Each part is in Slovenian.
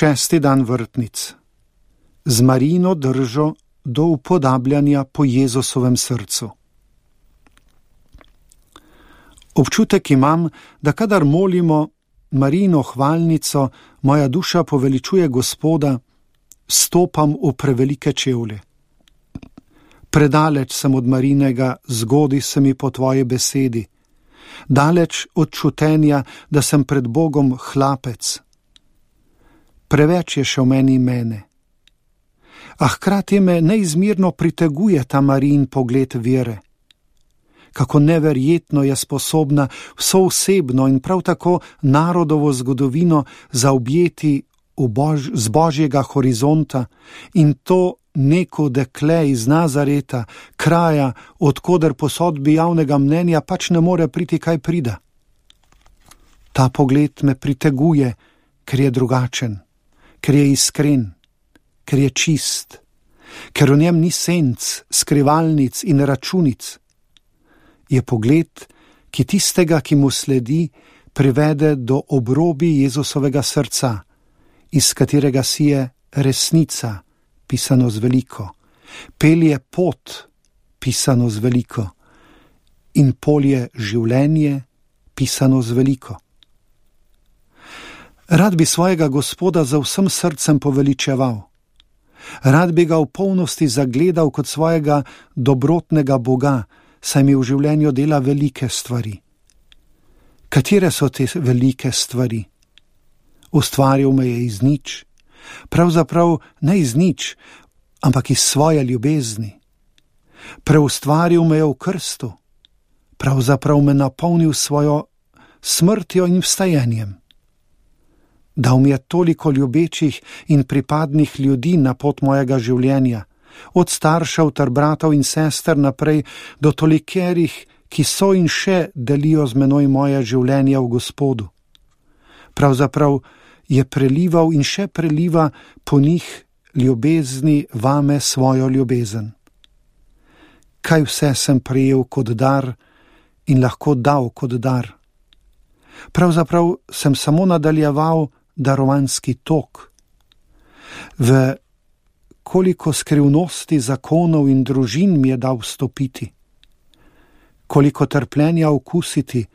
6. dan vrtnic. Z Marijino držo do upodabljanja po Jezusovem srcu. Občutek imam, da kadar molimo Marijino hvalnico, moja duša poveličuje Gospoda, stopam v prevelike čevlje. Predaleč sem od Marijinega, zgodi se mi po tvoji besedi. Daleč od čutenja, da sem pred Bogom hlapec. Preveč je še v meni mene. A hkrati me neizmerno priteguje ta Marijin pogled vere. Kako neverjetno je sposobna vsoosebno in prav tako narodovo zgodovino zaobjeti z Božjega horizonta in to neko dekle iz Nazareta, kraja, odkoder po sodbi javnega mnenja pač ne more priti kaj prida. Ta pogled me priteguje, ker je drugačen, ker je iskren, ker je čist, ker v njem ni senc, skrivalnic in računic. Je pogled, ki tistega, ki mu sledi, privede do obrobi Jezusovega srca, iz katerega sije resnica, pisano z veliko, pelje pot, pisano z veliko, in polje življenje, pisano z veliko. Rad bi svojega Gospoda za vsem srcem poveličeval. Rad bi ga v polnosti zagledal kot svojega dobrotnega Boga, saj mi v življenju dela velike stvari. Katere so te velike stvari? Ustvaril me je iz nič, pravzaprav ne iz nič, ampak iz svoje ljubezni. Preustvaril me je v krstu, pravzaprav me napolnil svojo smrtjo in vstajenjem. Dal mi je toliko ljubečih in pripadnih ljudi na pot mojega življenja, od staršev ter bratov in sester naprej do tolikerih, ki so in še delijo z menoj moje življenje v Gospodu. Pravzaprav je prelival in še preliva po njih ljubezni vame svojo ljubezen. Kaj vse sem prejel kot dar in lahko dal kot dar? Pravzaprav sem samo nadaljeval darovanski tok. V koliko skrivnosti zakonov in družin mi je dal vstopiti, koliko trpljenja okusiti,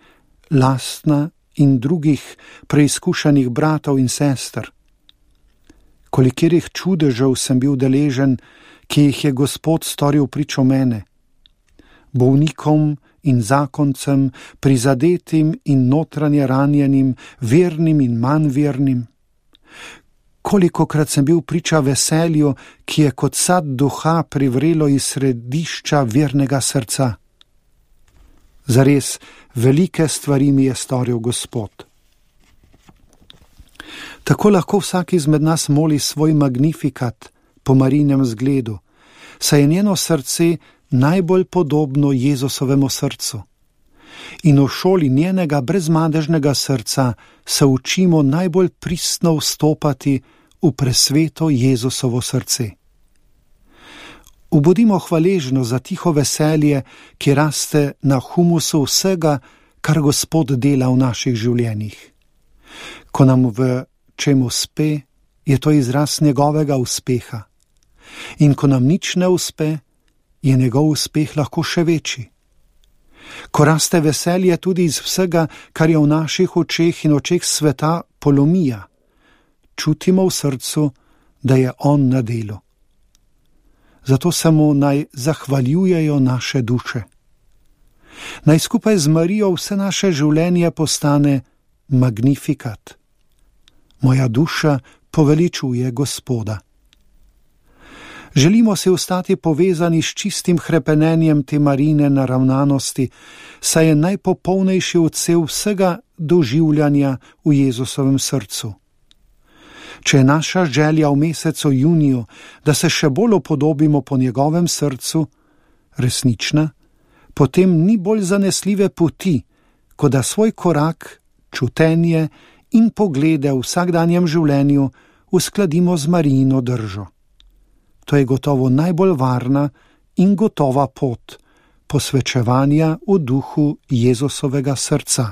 lastna in drugih preizkušanih bratov in sester, kolikih čudežev sem bil deležen, ki jih je Gospod storil pričo mene, bolnikom in zakoncem, prizadetim in notranje ranjenim, vernim in manj vernim. Kolikokrat sem bil priča veselju, ki je kot sad duha privrelo iz središča vernega srca. Zares, velike stvari mi je storil Gospod. Tako lahko vsak izmed nas moli svoj magnifikat po Marijinem zgledu, saj je njeno srce najbolj podobno Jezusovemu srcu. In v šoli njenega brezmadežnega srca se učimo najbolj pristno vstopati v presveto Jezusovo srce. Ubodimo hvaležno za tiho veselje, ki raste na humusu vsega, kar Gospod dela v naših življenjih. Ko nam v čem uspe, je to izraz njegovega uspeha. In ko nam nič ne uspe, je njegov uspeh lahko še večji. Ko raste veselje tudi iz vsega, kar je v naših očeh in očeh sveta polomija, čutimo v srcu, da je on na delu. Zato se mu naj zahvaljujejo naše duše. Naj skupaj z Marijo vse naše življenje postane magnifikat. Moja duša poveličuje Gospoda. Želimo si ostati povezani s čistim hrepenenjem te Marijine naravnanosti, saj je najpopolnejši odsev vsega doživljanja v Jezusovem srcu. Če je naša želja v mesecu juniju, da se še bolj upodobimo po njegovem srcu, resnična, potem ni bolj zanesljive poti, kot da svoj korak, čutenje in poglede v vsakdanjem življenju uskladimo z Marijino držo. To je gotovo najbolj varna in gotova pot posvečevanja v duhu Jezusovega srca.